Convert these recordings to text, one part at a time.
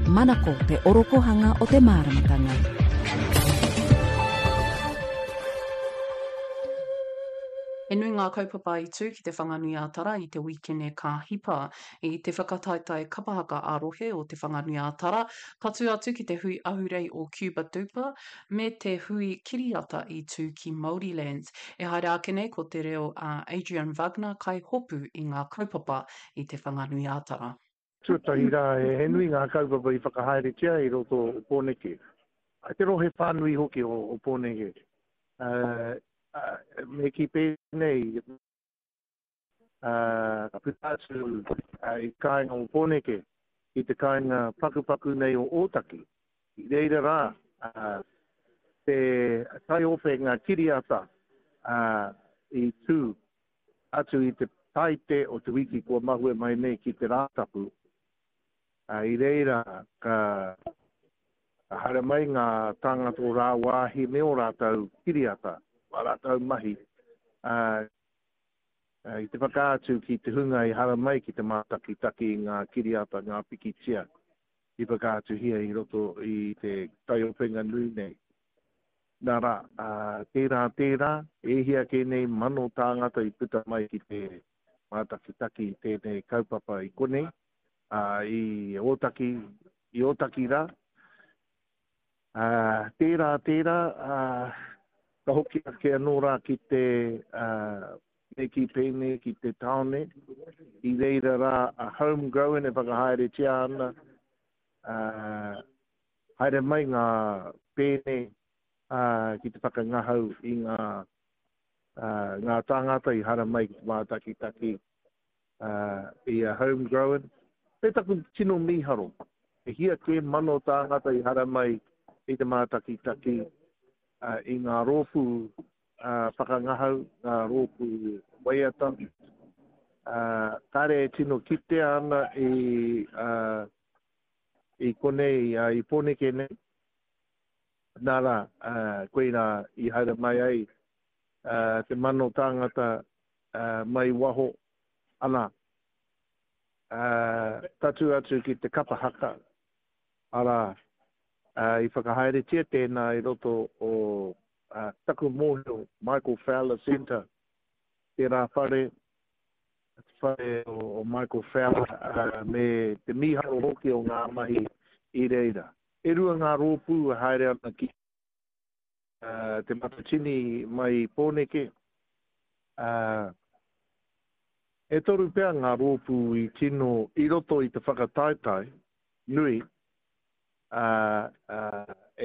Manako te orokohanga o te māramatanga. He nui ngā kaupapa i tū ki Te Whanganui-ā-Tara i te wīkene ka hipa. I te whakataetae kapa haka ā-rohe o Te Whanganui-ā-Tara, tatū atu ki te hui ahurei o Cuba Duper me te hui kiriata i tū ki Māorilands. E haere ake nei ko te reo a Adrian Wagner kai hopu i ngā kaupapa i Te Whanganui-ā-Tara. Tuatahi rā, he nui ngā kaupapa i whakahaeretia i roto o Pōneke, te rohe whānui hoki o Pōneke. Me kī pēnei, ka puta atu i te kāinga o Pōneke, i te kāinga pakupaku nei o Ōtaki. I reira rā te taiopenga kiriata i tū atu i te Taite o te wiki kua mahue mai nei ki te Rātapu, i reira ka haere mai ngā tāngata o rāwāhi me ō rātou kiriata, ā rātou mahi, i te whakaatu ki te hunga i haramai ki te mātakitaki i ngā kiriata, ngā pikitia i whakaatuhia i roto i te taiopenga nui nei. Nā rā, ā, tērā, tērā, e hia kē nei mano tāngata i puta mai ki te mātakitaki i tēnei kaupapa i konei, ā, i Ōtaki, i Ōtaki rā. Ā, tērā, tērā, ā, ka hoki ake anō rā ki te, ā, me kī pēnei ki te tāone, i reira rā a Homegrown e whakahaeretia ana, ā, Haere mai ngā pēne ki te whakangahau i ngā ngā tāngata i haramai ki te mātakitaki i a Homegrown. Me taku tino mīharo, e hia kē mano tāngata i haramai i te mātakitaki i ngā rōpū whakangahau, ngā rōpū waiata. Kāre e tino kitea ana i I konei, i Pōneke nei, nā rā, koirā i haere mai ai te mano tāngata mai waho, ana, tatū atu ki te kapa haka, arā, i whakahaeretia tēnā i roto o taku mōhio Michael Fowler Centre, tērā whare, te whare o Michael Fowler me te mīharo hoki o ngā mahi i reira. E rua ngā rōpū e haere ana ki Te Matatini mai i Pōneke. E toru pea ngā rōpū i tino i roto i te whakataetae nui,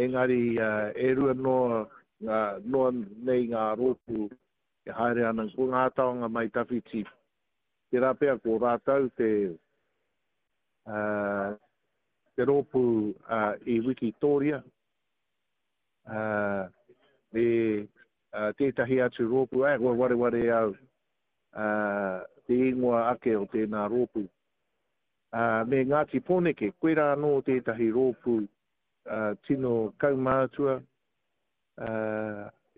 engari e rua noa, noa nei ngā rōpū e haere ana ko ngā taonga mai tawhiti, tērā pea ko rātou te, te rōpū i Wikitōria, me tētahi atu rōpū, ā, kua wareware au te ingoa ake o tēnā rōpū. Me Ngāti Pōneke, koirā anō tētahi rōpū tino kaumātua,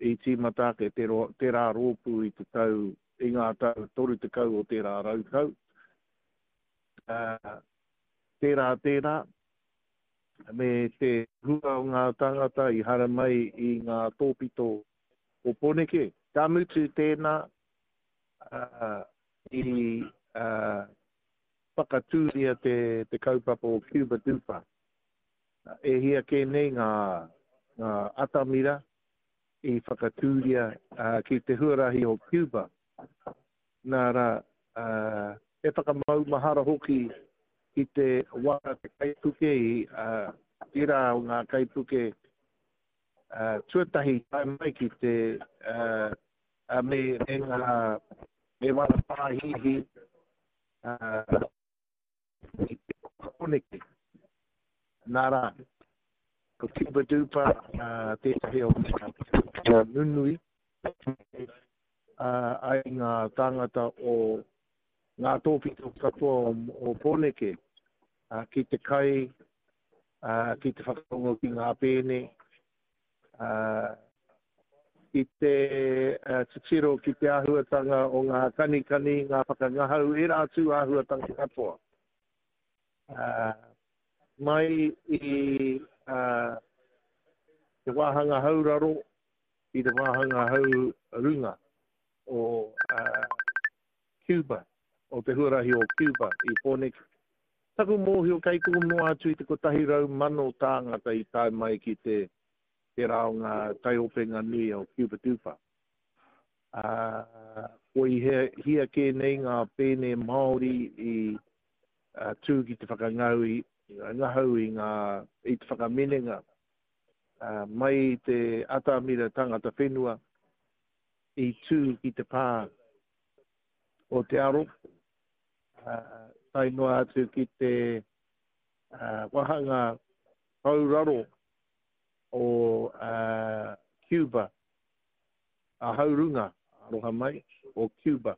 I tīmata ake tērā rōpū i te tau, i ngā tau 30 o tērā rautau. Tērā, tērā, me te hua o ngā tāngata i haramai i ngā tōpito o Pōneke. Ka mutu tēnā, i whakatūria te kaupapa o Cuba Duper. E hia kē nei ngā atamira i whakatūria ki te huarahi o Cuba. Nā rā, he whakamaumahara hoki ki te waka te kaipuke i tērā o ngā kaipuke tuatahi tae mai ki te me ngā me wana pāhihi i te Pōneke. Nā rā, ko Cuba Duper tētahi o ngā nunui ai ngā tāngata o ngā tōpito katoa o Pōneke ki te kai, ki te whakarongo ki ngā pēne, ki te titiro ki te āhuatanga o ngā kanikani, ngā whakangahau, ērā atu āhuatanga katoa. Mai i te wāhanga hauraro i te wāhanga haurunga o Cuba, o te huarahi o Cuba i Pōneke. Taku mōhio kei kō noa atu i te 100,000 tāngata i tae mai ki te tērā o ngā taiopenga nui o Cuba Dupa. Ā, kua i hia kē nei ngā pēne Māori i tū ki te whakangau i, ngahau i ngā, i te whakaminenga mai i te atamira tangata whenua i tū ki te pā o Te Aro, tae noa atu ki te wāhanga hauraro o Cuba, a haurunga, aroha mai, o Cuba.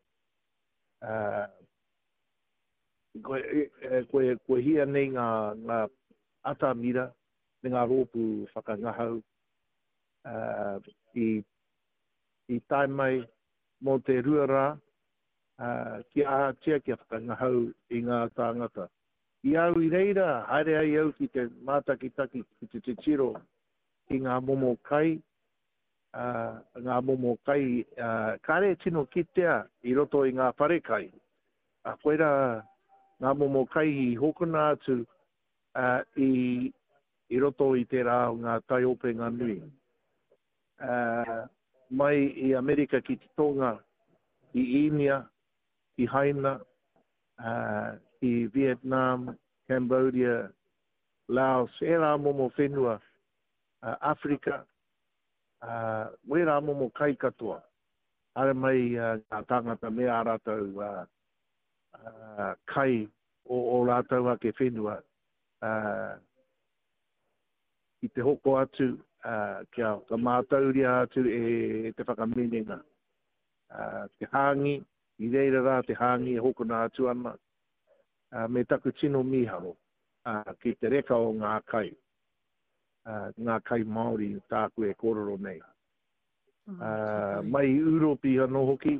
Kua hia nei ngā atamira me ngā rōpū whakangahau i tae mai mō te rua rā kia ahatia kia whakangahau i ngā tāngata. I a au i reira, haere ai au ki te mātakitaki, ki te titiro ki ngā momo kai, ngā momo kai kāre e tino kitea i roto i ngā wharekai. Koirā ngā momo kai i hokona atu i roto i tērā o ngā taiopenga nui. Mai i Amerika ki te Tonga, ki Īnia, ki Haina, ki Vietnam, Cambodia, Laos, ērā momo whenua, Āwherika, wērā momo kai katoa. Haere mai ngā tāngata me ā rātou kai o ō rātou ake whenua ki te hoko atu kia whakamātauria atu e te whakaminenga. Te hāngi, i reira rā te hāngi e hokona atu ana, me taku tino mīharo ki te reka o ngā kai, ngā kai Māori tāku e kōrero nei. Mai i Ūropi anō hoki,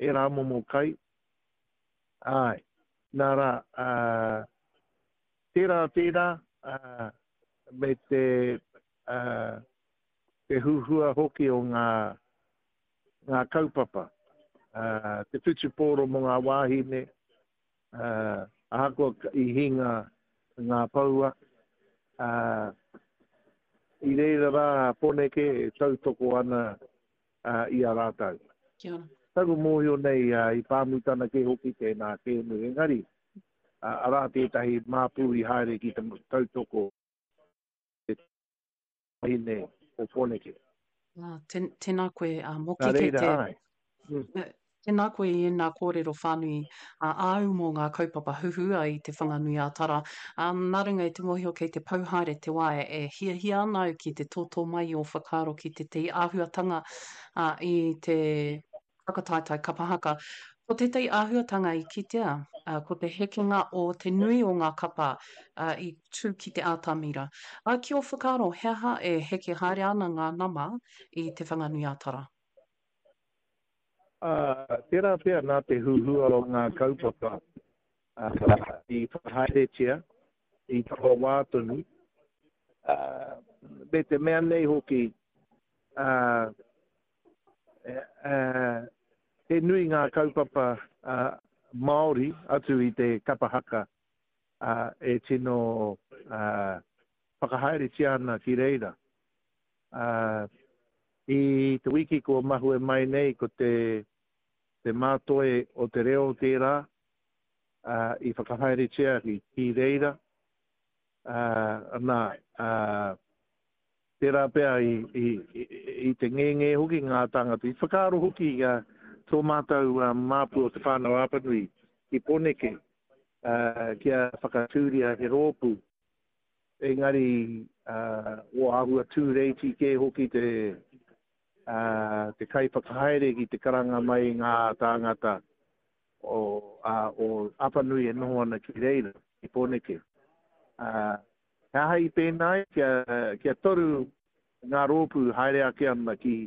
ērā momo kai, āe, nā rā, tērā tērā, me te, te huhua hoki o ngā, ngā kaupapa, te whutupōro mō ngā wāhine, ahakoa i hinga ngā poua, i reira rā a Poneke e tautoko ana i a rātou. Kia ora. Taku mōhio nei i pāmutana kē hoki tēnā kēmu, engari arā tētahi māpū i haere ki te tautoko te wahine o Pōneke. Tēnā koe, Moki, kei te... Nā reira, āe. Tēnā koe i ēnā kōrero whānui āu mō ngā kaupapa huhua i Te Whanganui-ā-Tara. Nā runga i te mōhio kei te pau haere te wā e hiahia ana au ki te tōtō mai i ō whakaaro ki tētahi āhuatanga i te whakataetae kapa haka. Ko tētahi āhuatanga i kitea, ko te hekenga o te nui o ngā kapa i tū ki te atamira. Ki ō whakaaro, he aha e heke haere ana ngā nama i Te Whanganui-ā-Tara? Ā, tērā pea nā te huhua o ngā kaupapa i whakahaeretia i taua wā tonu, ā, me te mea nei hoki, ā, ā, he nui ngā kaupapa Māori atu i te kapa haka, ā, e tino, ā, whakahaeretia ana ki reira. Ā, i te wiki kua mahue mai nei ko te te mātoe o te reo tērā, ā, i whakahaeretia ki reira, ā, nā, ā, tērā pea i, i, i te ngēngē hoki ngā tāngata. I whakaaro hoki tō mātou māpu o Te Whānau-a-Apanui ki Pōneke, ā, kia whakatūria he rōpū Engari, ua āhua tūreiti kē hoki te, te kaiwhakahaere ki te karanga mai i ngā tāngata o, o Apanui e noho ana ki reira, ki Pōneke. He aha i pēnā ai? Kia, kia toru ngā rōpū haere ake ana ki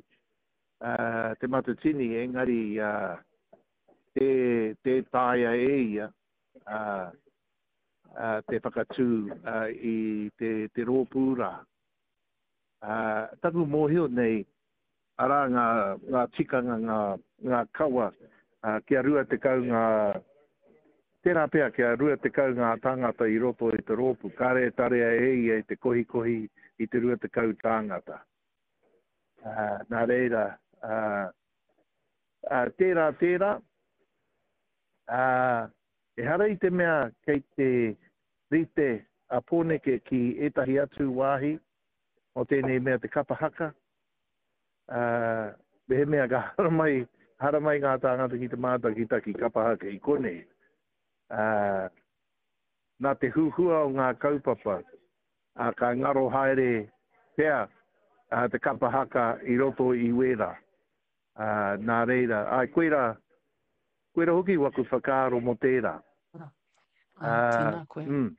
Te Matatini, engari tē, tē taea e ia. te whakatū i te, te rōpū rā. Taku mōhio nei, arā ngā, ngā tikanga, ngā, ngā kawa, kia 20 ngā, tērā pea kia 20 ngā tāngata i roto i te rōpū, kāre e tarea e ia i te kohikohi i te 20 tāngata. Nā reira, tērā, tērā, ehara i te mea kei te rite a Pōneke ki ētahi atu wāhi o tēnei mea te kapa haka, ā, mehemea ka haramai, haramai ngā tāngata ki te mātakitaki kapa haka i konei, ā, nā te huhua o ngā kaupapa, ā, ka ngaro haere pea te kapa haka i roto i wērā. Ā, nā reira, āe, koirā, koirā hoki waku whakaaro mō tērā. Ā, tēnā koe. Mm.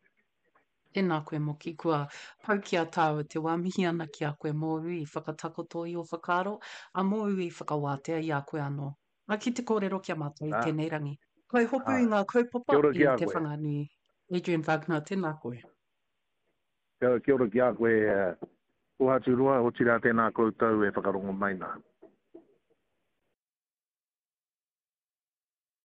Tēnā koe Moki, kua pau ki a tāua te wā, mihi ana ki a koe mōu i whakatakoto i ō whakaaro, ā, mōu i whakawātea i a koe anō. Ā, ki te kōrero ki a mātou i tēnei rangi. Kai hopu i ngā kaupapa i Te Whanganui. Adrian Wagner, tēnā koe. Kia ora ki a koe, Kohaturoa, otirā tēnā koutou e whakarongo mai nā.